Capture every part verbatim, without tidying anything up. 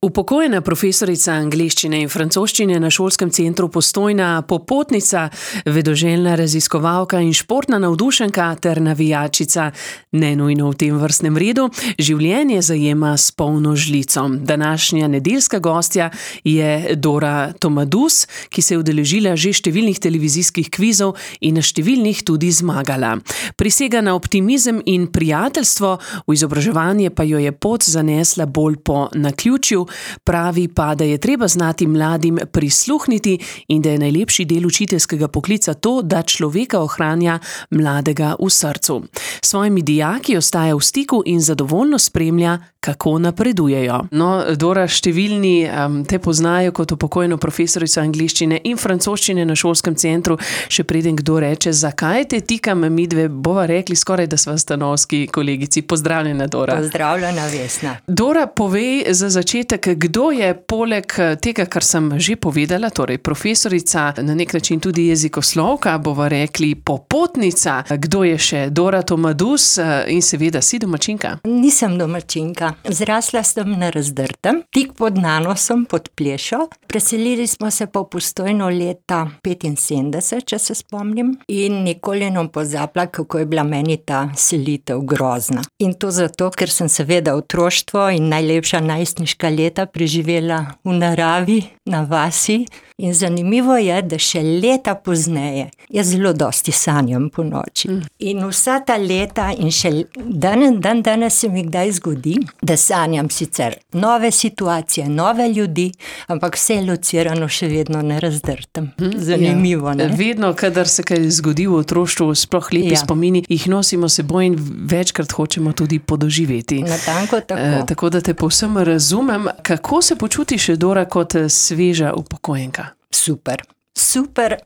Upokojena profesorica angleščine in francoščine na Šolskem centru Postojna, popotnica, vedoželjna raziskovalka in športna navdušenka ter navijačica. Ne nujno v tem vrstnem redu, življenje zajema s polno žlico. Današnja nedeljska gostja je Dora Tomadus, ki se je udeležila že številnih televizijskih kvizov in na številnih tudi zmagala. Prisega na optimizem in prijateljstvo, v izobraževanje pa jo je pot zanesla bolj po naključju. Pravi pa, da je treba znati mladim prisluhniti in da je najlepši del učiteljskega poklica to, da človeka ohranja mladega v srcu. S svojimi dijaki ostaja v stiku in zadovoljno spremlja, kako napredujejo. No, Dora, številni um, te poznajo kot upokojeno profesorico angleščine in francoščine na Šolskem centru. Še preden kdo reče, zakaj te tikam, midve bova rekli skoraj, da sva stanovski kolegici. Pozdravljena, Dora. Pozdravljena, Vesna. Dora, povej za začetek, kdo je poleg tega, kar sem že povedala, torej profesorica, na nek način tudi jezikoslovka, bova rekli popotnica. Kdo je še? Dora Tomadus in seveda si domačinka? Nisem domačinka. Zrasla sem na Razdrtem, tik pod Nanosom, pod Plešo. Preselili smo se po Postojno leta petinsedemdeset, če se spomnim, in nikoli ne pozabila, kako je bila meni ta selitev grozna. In to zato, ker sem seveda otroštvo in najlepša najstniška leta preživela v naravi, na vasi. In zanimivo je, da še leta pozneje jaz zelo dosti sanjam po noči. Mm. In vsa ta leta in še dan, dan danes se mi kdaj zgodi, da sanjam sicer nove situacije, nove ljudi, ampak vse je locirano še vedno na Razdrtem. Zanimivo, ja. Ne? Vedno, kadar se kaj zgodi v otroštvu, sploh lepi ja. spomini, jih nosimo seboj in večkrat hočemo tudi podoživeti. Natanko tako. E, tako da te povsem razumem. Kako se počutiš, Dora, kot sveža upokojenka? Super. Super,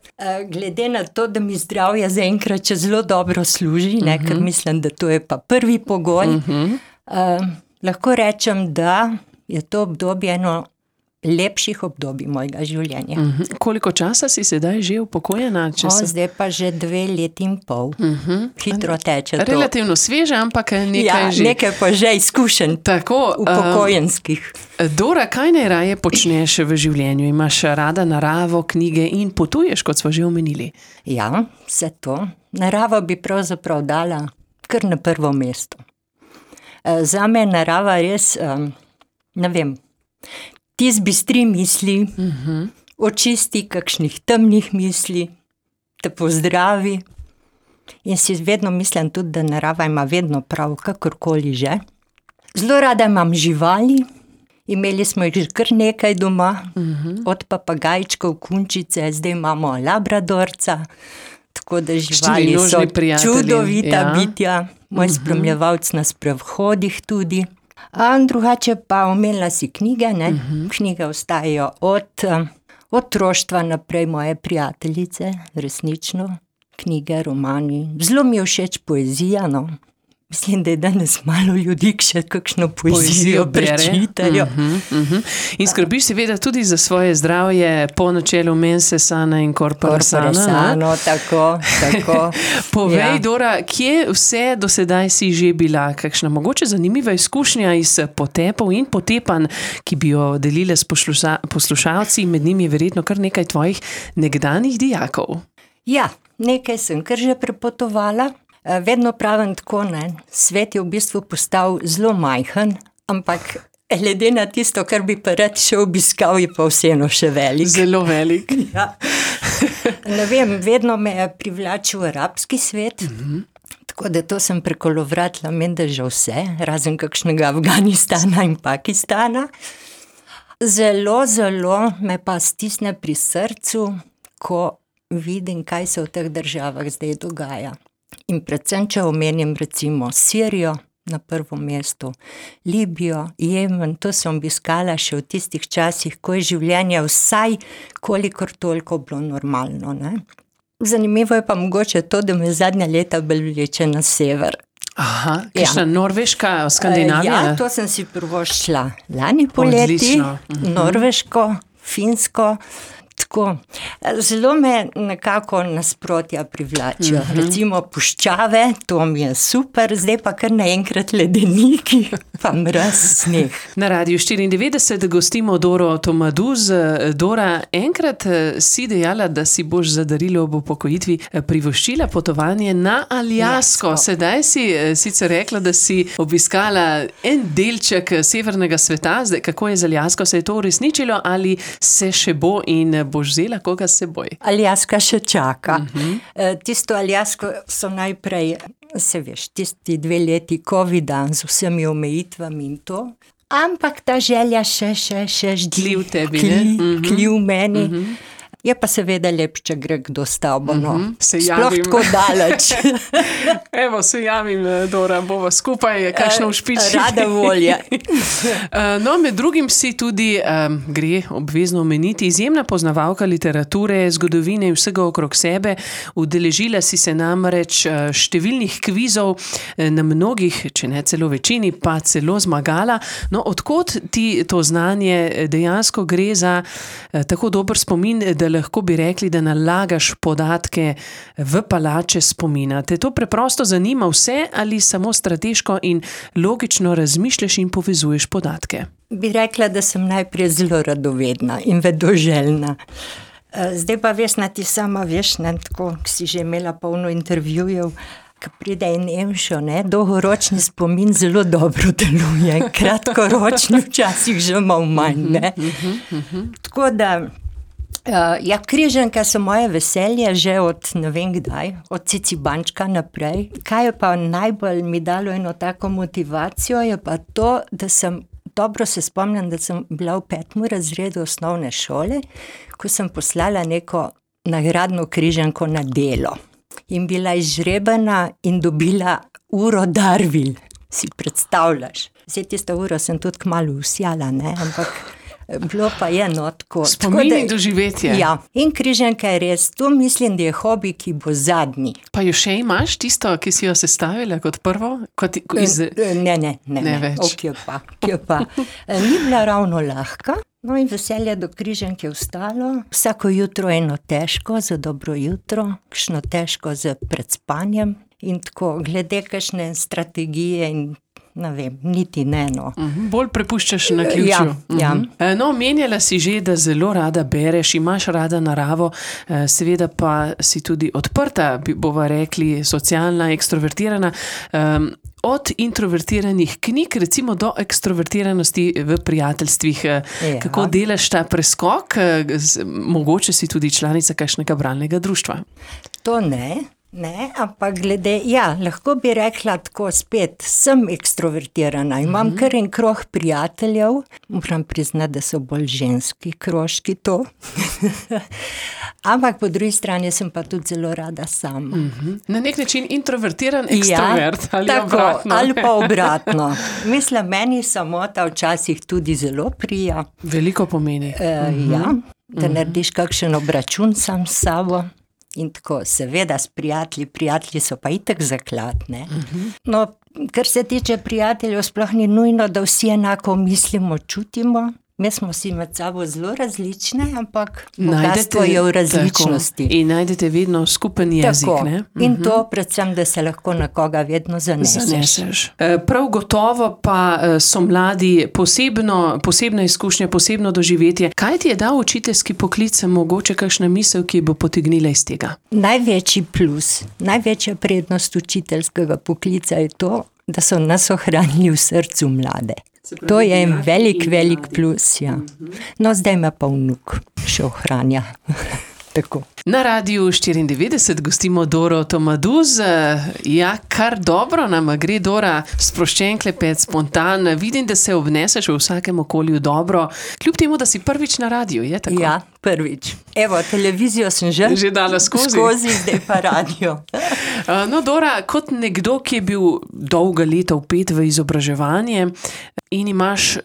glede na to, da mi zdravje zaenkrat še zelo dobro služi, ne, uh-huh. ker mislim, da to je pa prvi pogoj. Uh-huh. Uh, lahko rečem, da je to obdobje eno lepših obdobij mojega življenja. Uh-huh. Koliko časa si sedaj že upokojena? O, se... Zdaj pa že dve leti in pol. Uh-huh. Hitro teče to. Relativno sveže, ampak nekaj ja, že. Nekaj pa že izkušenj upokojenskih. Uh, Dora, kaj najraje počneš v življenju? Imaš rada naravo, knjige in potuješ, kot smo že omenili? Ja, vse to. Naravo bi pravzaprav dala kar na prvo mesto. Uh, zame je narava res, um, ne vem, ti zbistri misli, uh-huh. očisti kakšnih temnih misli, te pozdravi. In si vedno mislim tudi, da narava ima vedno prav, kakorkoli že. Zelo rada imam živali, imeli smo jih že kar nekaj doma, uh-huh. od papagajčkov, kunčice, zdaj imamo labradorca, tako da živali so čudovita ja. bitja, moj uh-huh. spremljevalc na sprehodih tudi. A drugače pa omenila si knjige, ne? Uh-huh. Knjige ostajajo od otroštva naprej, moje prijateljice, resnično, knjige, romani. Zelo mi je všeč poezija, no. Mislim, da je danes malo ljudi, ki še kakšno poezijo prečitajo. Uh-huh, uh-huh. In skrbiš seveda tudi za svoje zdravje po načelu mense sana in corpore sana. Corpore sano, tako, tako. Povej, ja. Dora, kje vse do sedaj si že bila? Kakšna mogoče zanimiva izkušnja iz potepov in potepanj, ki bi jo delile s posluša- poslušalci, med njimi je verjetno kar nekaj tvojih nekdanjih dijakov. Ja, nekaj sem kar že prepotovala. Vedno pravim tako, ne, svet je v bistvu postal zelo majhen, ampak glede na tisto, kar bi pa rad še obiskal, je pa vseeno še velik. Zelo velik. Ja. Ne vem, vedno me je privlačil arabski svet, uh-huh. tako da to sem prekolovratila, menda že vse, razen kakšnega Afganistana in Pakistana. Zelo, zelo me pa stisne pri srcu, ko vidim, kaj se v teh državah zdaj dogaja. In predvsem, če omenim recimo Sirijo na prvo mesto, Libijo, Jemen, to sem obiskala še v tistih časih, ko je življenje vsaj kolikor toliko bilo normalno. Ne? Zanimivo je pa mogoče to, da me zadnja leta bolj vleče na sever. Aha, kakšna ja. Norveška, Skandinavija? Ja, to sem si prvo šla lani poleti, uh-huh. Norveško, Finsko. Tako, zelo me nekako nasprotja privlačijo. Uh-huh. Recimo puščave, to mi je super, zdaj pa kar naenkrat ledeniki, pa mraz, sneh. Na Radiu štiriindevetdeset gostimo Doro Tomaduz. Dora, enkrat si dejala, da si boš za darilo ob upokojitvi privoščila potovanje na Aljasko. Sedaj si sicer rekla, da si obiskala en delček severnega sveta. Zdaj, kako je z Aljasko? Se je to uresničilo ali se še bo in boš vzela koga s seboj? Aljaska še čaka. Uh-huh. Tisto Aljasko so najprej, se veš, tisti dve leti covida z vsemi omejitvami in to, ampak ta želja še, še, še ždi v tebi, kli, ne? Uh-huh. Kli v meni. Uh-huh. Je pa seveda lep, če gre kdo s tabo, no. Uh-huh. Se Sploh javim. tako daleč. Evo, se javim, Dora, bova skupaj, kakšno všpiči. Rada volja. No, med drugim si tudi, um, gre obvezno omeniti, izjemna poznavalka literature, zgodovine in vsega okrog sebe. Udeležila si se namreč številnih kvizov, na mnogih, če ne celo večini, pa celo zmagala. No, odkot ti to znanje? Dejansko gre za uh, tako dober spomin, da lahko bi rekli, da nalagaš podatke v palače spomina. Te to preprosto zanima vse ali samo strateško in logično razmišljaš in povezuješ podatke? Bi rekla, da sem najprej zelo radovedna in vedoželjna. Zdaj pa Vesna, ti sama veš, ne, tako, ki si že imela polno intervjujev, ko pride in emšo, ne, dolgoročni spomin zelo dobro deluje, kratkoročni včasih že malo manj, ne. Tako da Uh, ja, križanka so moje veselje že od ne vem kdaj, od Cicibančka naprej. Kaj je pa najbolj mi dalo eno tako motivacijo, je pa to, da sem, dobro se spomnim, da sem bila v petem razredu osnovne šole, ko sem poslala neko nagradno križanko na delo. In bila izžrebana in dobila uro Darvil, si predstavljaš. Zdaj tisto uro sem tudi kmalu usjala, ne, ampak bilo pa je no tako. Spomin in doživetje. Ja, in križanka je res, to mislim, da je hobi, ki bo zadnji. Pa jo še imaš tisto, ki si jo sestavila kot prvo? Kot iz... Ne, ne, ne, ne več. O, kje pa, kje pa. Ni bila ravno lahka, no in veselje do križanke je ostalo. Vsako jutro eno težko, za dobro jutro, kakšno težko z predspanjem in tako, glede kakšne strategije in ne vem, niti ne, no. Uh-huh. Bolj prepuščaš na ključu. Ja, ja. Uh-huh. No, omenjala si že, da zelo rada bereš, imaš rada naravo, seveda pa si tudi odprta, bova rekli, socialna, ekstrovertirana. Um, od introvertiranih knjig, recimo do ekstrovertiranosti v prijateljstvih. Ja. Kako delaš ta preskok? Mogoče si tudi članica kakšnega bralnega društva. To ne. Ne, ampak glede, ja, lahko bi rekla tako spet, sem ekstrovertirana, imam kar en krog prijateljev, moram priznati, da so bolj ženski krožki to, ampak po drugi strani sem pa tudi zelo rada sama. Uh-huh. Na nek način introvertiran ekstrovert, ja, ali tako, obratno? Ali pa obratno. Mislim, meni samota včasih tudi zelo prija. Veliko pomeni. E, uh-huh. Ja, da uh-huh. narediš kakšen obračun sam s sabo. In tako, seveda s prijatelji, prijatelji so pa itak zaklad, ne. Uh-huh. No, kar se tiče prijateljev, sploh ni nujno, da vsi enako mislimo, čutimo. Mi smo si med sabo zelo različne, ampak bogatstvo je v različnosti. Tako, in najdete vedno skupen jezik, tako, ne? In uh-huh. to predvsem, da se lahko na koga vedno zaneseš. zaneseš. Prav gotovo pa so mladi posebno, posebna izkušnja, posebno doživetje. Kaj ti je dal učiteljski poklic, mogoče kakšna misel, ki bo potegnila iz tega? Največji plus, največja prednost učiteljskega poklica je to, da so nas ohranili v srcu mlade. To je en velik, velik plus, ja. No, zdaj me pa vnuk še ohranja. Tako. Na Radiu štiriindevetdeset gostimo Doro Tomaduz. Ja, kar dobro nam gre, Dora, sproščen klepet, spontan. Vidim, da se obneseš v vsakem okolju dobro, kljub temu, da si prvič na radiju, je tako? Ja, prvič. Evo, televizijo sem že, že dala skozi. Skozi, zdaj pa radio. No, Dora, kot nekdo, ki je bil dolga leta vpet v izobraževanje in imaš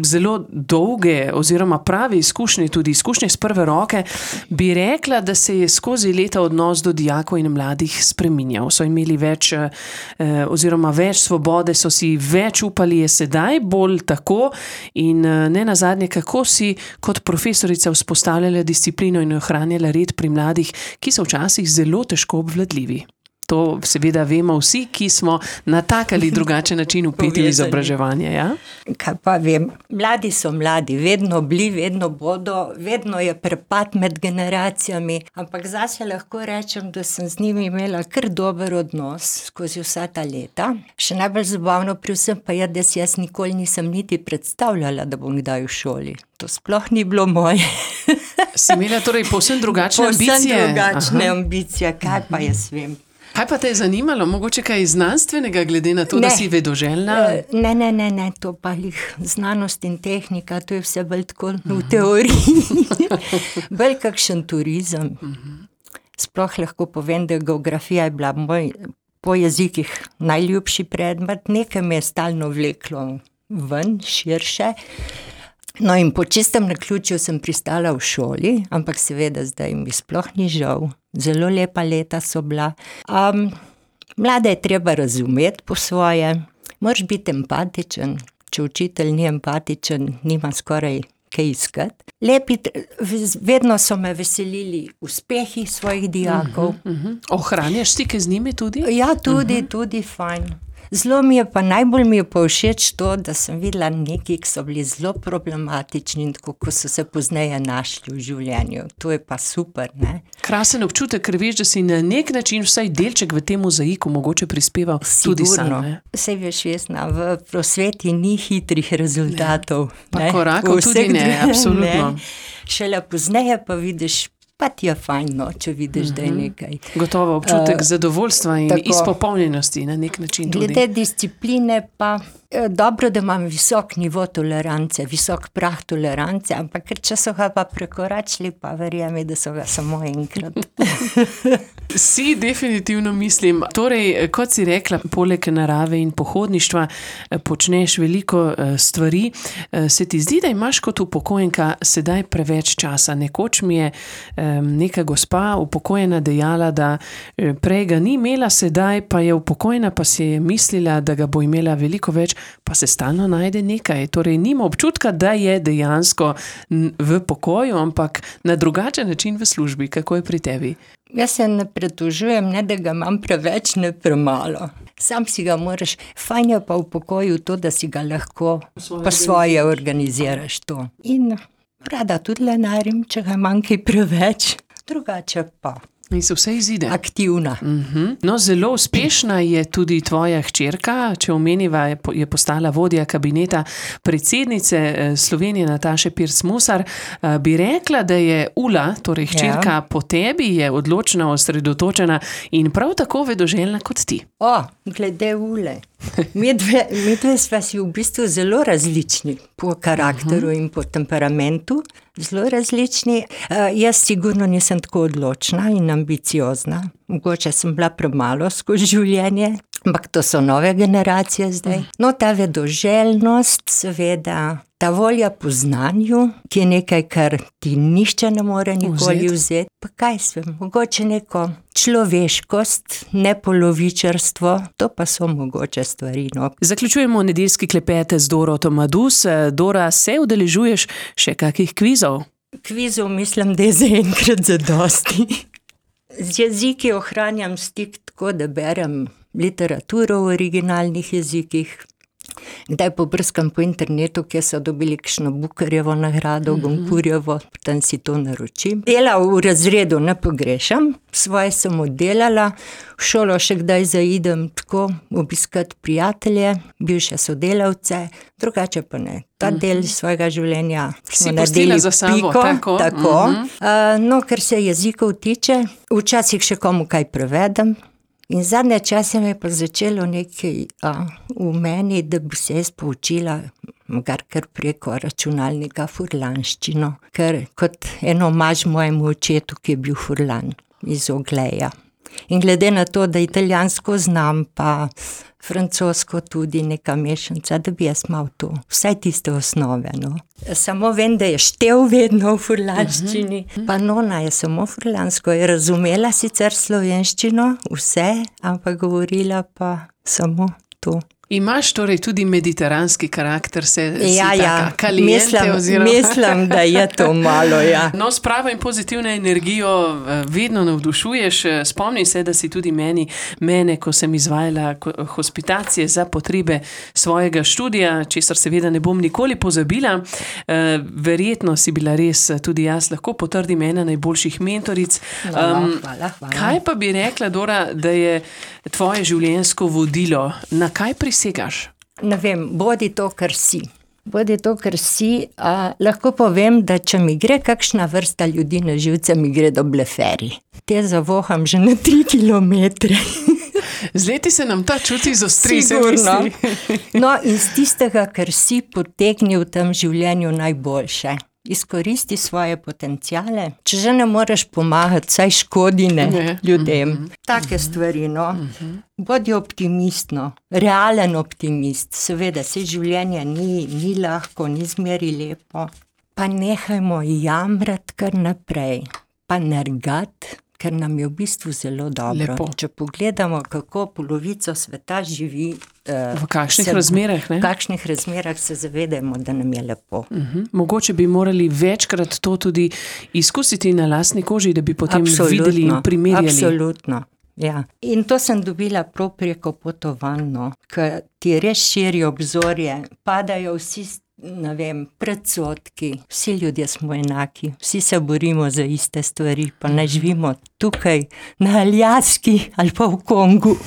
zelo dolge oziroma prave izkušnje, tudi izkušnje z prve roke, bi rekla, da se je skozi leta odnos do dijakov in mladih spreminjal. So imeli več eh, oziroma več svobode, so si več upali, je sedaj bolj tako in eh, ne nazadnje, kako si kot profesorica vzpostavljala disciplino in ohranjala red pri mladih, ki so včasih zelo težko obvladljivi. To seveda vemo vsi, ki smo na tak ali drugačen način vpeti v izobraževanje. Ja? Kaj pa vem, mladi so mladi, vedno bili, vedno bodo, vedno je prepad med generacijami, ampak zase lahko rečem, da sem z njimi imela kar dober odnos skozi vsa ta leta. Še najbolj zabavno pri vsem pa je, da si jaz nikoli nisem niti predstavljala, da bom kdaj v šoli. To sploh ni bilo moje. Si imela torej povsem drugačne povsem ambicije? Povsem drugačne Aha. ambicije, kaj pa jaz vem. Kaj pa te je zanimalo? Mogoče kaj znanstvenega, glede na to, ne. da si vedoželjna? Ne, ne, ne, ne, to pa jih znanost in tehnika, to je vse bolj tako v teoriji. Bolj kakšen turizem. Sploh lahko povem, da geografija je bila moj po jezikih najljubši predmet, nekaj me je stalno vleklo ven, širše. No in po čistem naključju sem pristala v šoli, ampak seveda zdaj mi sploh ni žal. Zelo lepa leta so bila. Um, mlade je treba razumeti po svoje, moraš biti empatičen. Če učitelj ni empatičen, nima skoraj kaj iskati. Lepi, vedno so me veselili uspehi svojih dijakov. Uh-huh, uh-huh. Ohranjaš stike z njimi tudi? Ja, tudi, uh-huh. tudi fajn. Zelo mi je pa, najbolj mi je pa všeč to, da sem videla neki, ki so bili zelo problematični in tako, ko so se pozneje našli v življenju. To je pa super, ne? Krasen občutek, ker veš, da si na nek način vsaj delček v tem mozaiku mogoče prispeval tudi sam. Sej veš, Vesna, v prosveti ni hitrih rezultatov. Ne. Pa korakov tudi ne, absolutno. Ne. Šele pozneje pa vidiš, pa ti je fajn, no, če vidiš, uh-huh. da je nekaj. Gotovo občutek uh, zadovoljstva in tako. Izpopolnjenosti na nek način tudi. Glede discipline pa dobro, da imam visok nivo tolerance, visok prah tolerance, ampak ker če so ga pa prekoračili, pa verjemi, da so ga samo enkrat. Si definitivno mislim. Torej, kot si rekla, poleg narave in pohodništva počneš veliko stvari. Se ti zdi, da imaš kot upokojenka sedaj preveč časa? Nekoč mi je neka gospa upokojena dejala, da prej ga ni imela, sedaj pa je upokojena, pa si je mislila, da ga bo imela veliko več, pa se stalno najde nekaj. Torej, nima občutka, da je dejansko v pokoju, ampak na drugačen način v službi. Kako je pri tebi? Jaz se ne pretožujem, ne da ga imam preveč, ne premalo. Sam si ga moraš, fajn je pa v pokoju to, da si ga lahko po svoje organiziraš to. In rada tudi lenarim, če ga imam kaj preveč, drugače pa. In se vse izide. Aktivna. Uh-huh. No, zelo uspešna je tudi tvoja hčerka, če omeniva, je postala vodja kabineta predsednice Slovenije Nataše Pirc Musar. Bi rekla, da je Ula, torej hčerka, ja. po tebi je odločna, osredotočena in prav tako vedoželjna kot ti. O, glede Ule. Mi dve, mi dve sva si v bistvu zelo različni po karakteru uh-huh. in po temperamentu. Zelo različni. Uh, jaz sigurno nisem tako odločna in ambiciozna. Mogoče sem bila premalo skozi življenje, ampak to so nove generacije zdaj. No, ta vedoželjnost, seveda, ta volja po znanju, ki je nekaj, kar ti nišče ne more nikoli vzeti. Pa kaj svem, mogoče neko človeškost, nepolovičarstvo, to pa so mogoče stvari. No. Zaključujemo nedeljski klepet z Doroto Madus. Dora, se udeležuješ še kakih kvizov? Kvizov mislim, da je zaenkrat zadosti. Z jeziki ohranjam stik tako, da berem literaturo v originalnih jezikih. Kdaj pobrskam po internetu, kjer so dobili kakšno Bukarjevo nagrado, Gonkurjevo, potem si to naročim. Dela v razredu ne pogrešam, svoje sem oddelala, v šolo še kdaj zaidem tako, obiskati prijatelje, bivše sodelavce, drugače pa ne. Ta del svojega življenja smo naredili piko. Tako. tako. Uh, no, ker se jezikov tiče, včasih še komu kaj prevedem. In zadnje čase me je pa začelo nekaj a, v meni, da bi se jaz poučila kar, kar preko računalnika furlanščino, ker kot eno omaž mojemu očetu, ki je bil furlan iz Ogleja. In glede na to, da italijansko znam, pa francosko tudi neka mešanca, da bi jaz malo to, vsaj tiste osnove, no. Samo vem, da je štel vedno v furlanščini, uh-huh. pa nona je samo furlansko, je razumela sicer slovenščino, vse, ampak govorila pa samo to. Imaš torej tudi mediteranski karakter, se ja, si ja. taka kaliente mislim, oziroma... Mislim, da je to malo, ja. No, s pravo in pozitivno energijo vedno navdušuješ. Spomni se, da si tudi meni, mene, ko sem izvajala hospitacije za potrebe svojega študija, česar seveda ne bom nikoli pozabila. Verjetno si bila res, tudi jaz lahko potrdim, ena najboljših mentoric. No, um, hvala, hvala. Kaj pa bi rekla, Dora, da je tvoje življenjsko vodilo? Na kaj prisegaš? Ne vem, bodi to, kar si. Bodi to, kar si. A, lahko povem, da če mi gre kakšna vrsta ljudi na živce, mi gre do bleferi. Te zavoham že na tri kilometre. Z leti se nam ta čuti izostri, se misli. No, in z tistega, kar si, potegni v tem življenju najboljše. Izkoristi svoje potenciale. Če že ne moreš pomagati, saj škodi ne, ne. ljudem. Mm-hmm. Take stvari, no. Mm-hmm. Bodi optimist, no. Realen optimist. Seveda, se življenje ni, ni lahko, ni zmeri lepo. Pa nehajmo jamrati kar naprej. Pa nergati, ker nam je v bistvu zelo dobro. Lepo. Če pogledamo, kako polovico sveta živi, uh, v kakšnih se, razmerah, ne? V kakšnih razmerah se zavedamo, da nam je lepo. Uh-huh. Mogoče bi morali večkrat to tudi izkusiti na lastni koži, da bi potem absolutno, videli in primerjali. Absolutno, ja. In to sem dobila prav preko potovanj, no, ker ti res širi obzorje, padajo vsi ne vem, predsodki, vsi ljudje smo enaki, vsi se borimo za iste stvari, pa ne živimo tukaj na Aljaski ali pa v Kongu.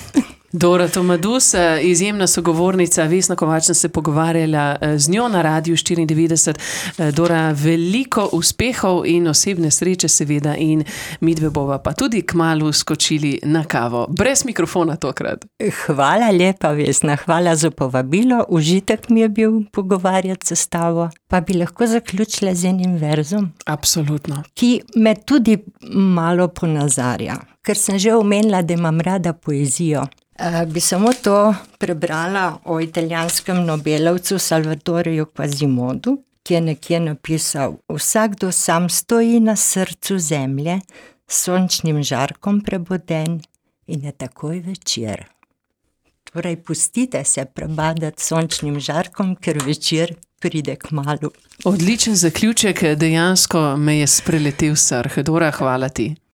Dora Tomadus, izjemna sogovornica, Vesna Kovač, sem se pogovarjala z njo na Radiu štiriindevetdeset. Dora, veliko uspehov in osebne sreče seveda in midve bova pa tudi kmalu skočili na kavo. Brez mikrofona tokrat. Hvala lepa, Vesna, hvala za povabilo. Užitek mi je bil pogovarjati se s tabo. Pa bi lahko zaključila z enim verzom? Absolutno. Ki me tudi malo ponazarja, ker sem že omenila, da imam rada poezijo. Uh, bi samo to prebrala o italijanskem nobelovcu Salvatoreju Quasimodu, ki je nekje napisal: vsakdo sam stoji na srcu zemlje, s sončnim žarkom preboden in je takoj večer. Torej, pustite se prebadati sončnim žarkom, ker večer pride kmalu. Odličen zaključek, dejansko me je spreletel srh. Dora, hvala ti.